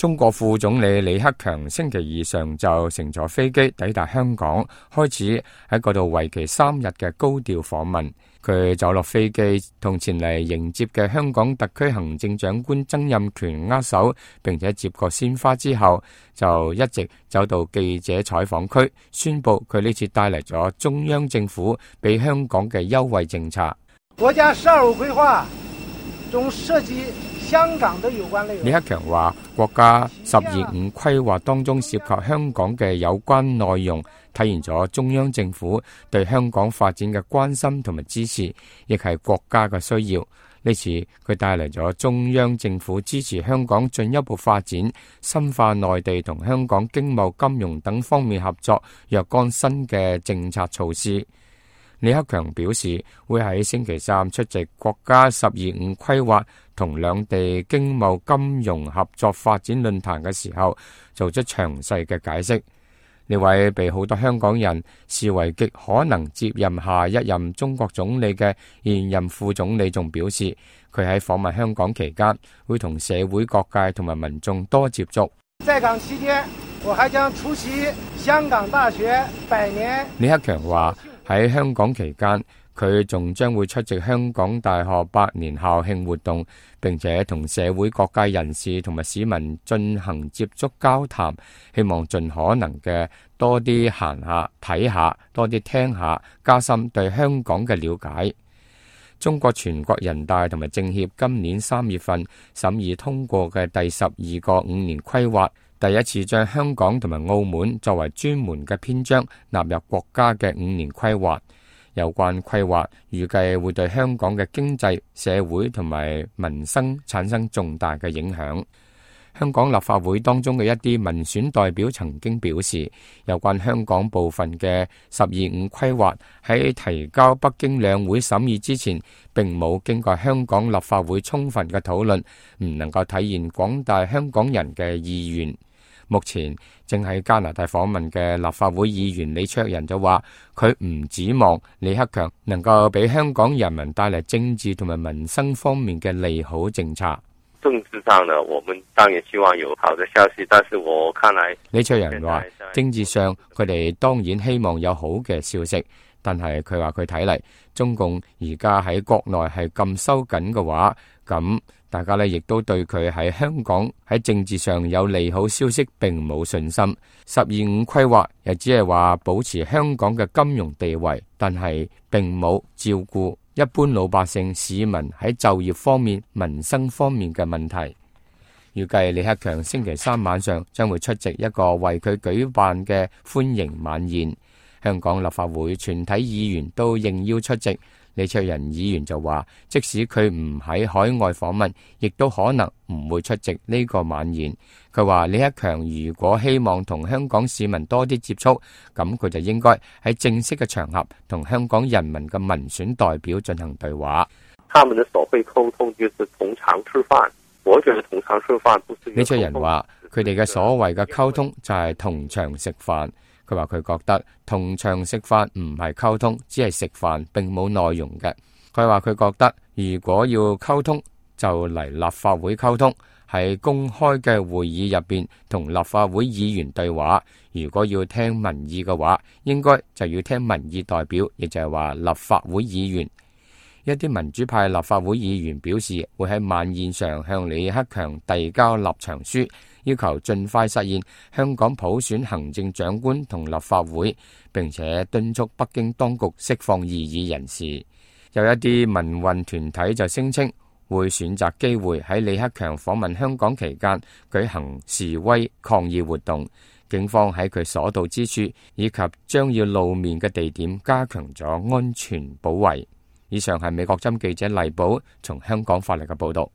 中國副總理李克強星期二上晝乘坐飛機抵達香港，開始喺嗰度為期3日嘅高調訪問。佢走落飛機，同前嚟迎接嘅香港特區行政長官曾蔭權握手，並且接過鮮花之後，就一直走到記者採訪區，宣布佢呢次帶嚟咗中央政府俾香港嘅優惠政策。國家12五規劃中涉及香港的有關內容。李克強話，國家12.5規劃當中涉及香港嘅有關內容，體現咗中央政府對香港發展嘅關心同埋支持，亦係國家嘅需要。呢次佢帶嚟咗中央政府支持香港進一步發展、深化內地同香港經貿、金融等方面合作若干新嘅政策措施。李克強表示，會喺星期三出席國家12.5規劃同兩地經貿金融合作發展論壇嘅時候，做出詳細嘅解釋。呢位被好多香港人視為極可能接任下一任中國總理嘅現任副總理仲表示，佢喺訪問香港期間會同社會各界同埋民眾多接觸。在港期間，我還將出席香港大學100年。李克強話，喺香港期間，佢仲將會出席香港大學100年校慶活動，並且同社會各界人士同埋市民進行接觸交談，希望盡可能嘅多啲行下睇下，多啲聽下，加深對香港嘅了解。中國全國人大同埋政協今年3月份審議通過嘅第12個5年規劃，第一次將香港同埋澳門作為專門嘅篇章納入國家嘅5年規劃。有關規劃預計會對香港嘅經濟、社會同埋民生產生重大嘅影響。香港立法會當中嘅一啲民選代表曾經表示，有關香港部分嘅12.5規劃喺提交北京兩會審議之前，並冇經過香港立法會充分嘅討論，唔能夠體現廣大香港人嘅意願。目前正喺加拿大訪問嘅立法會議員李卓人就話，佢唔指望李克強能夠俾香港人民帶嚟政治同埋民生方面嘅利好政策。政治上呢，我們當然希望有好的消息，但是我看來，李卓人話，政治上佢哋當然希望有好嘅消息，但係佢話佢睇嚟，中共而家喺國內係咁收緊嘅話，咁大家呢亦都對佢喺香港喺政治上有利好消息並冇信心。12.5規劃又只係話保持香港嘅金融地位，但係並冇照顧一般老百姓市民喺就業方面、民生方面嘅問題。預計李克強星期三晚上將會出席一個為佢舉辦嘅歡迎晚宴，香港立法會全體議員都應邀出席。李卓人議員就話，即使佢唔喺海外訪問，亦都可能唔會出席呢個晚宴。佢話李克強如果希望同香港市民多啲接觸，咁佢就應該喺正式嘅場合同香港人民嘅民選代表進行對話。他們的所謂溝通就是同場吃飯，我覺得同場吃飯不是。李卓人話，佢哋嘅所謂嘅溝通就係同場食飯。佢話佢覺得同場食飯唔係溝通，只係食飯，並冇內容嘅。佢話佢覺得如果要溝通，就嚟立法會溝通，喺公開嘅會議入邊同立法會議員對話。如果要聽民意嘅話，應該就要聽民意代表，亦就係話立法會議員。一啲民主派立法會議員表示，會喺晚宴上向李克強遞交立場書，要求盡快實現香港普選行政長官同立法會，並且敦促北京當局釋放異議人士。有一啲民運團體就聲稱會選擇機會喺李克強訪問香港期間舉行示威抗議活動，警方喺佢所到之處以及將要露面嘅地點加強咗安全保衛。以上係美國之音記者黎寶從香港發嚟嘅報道。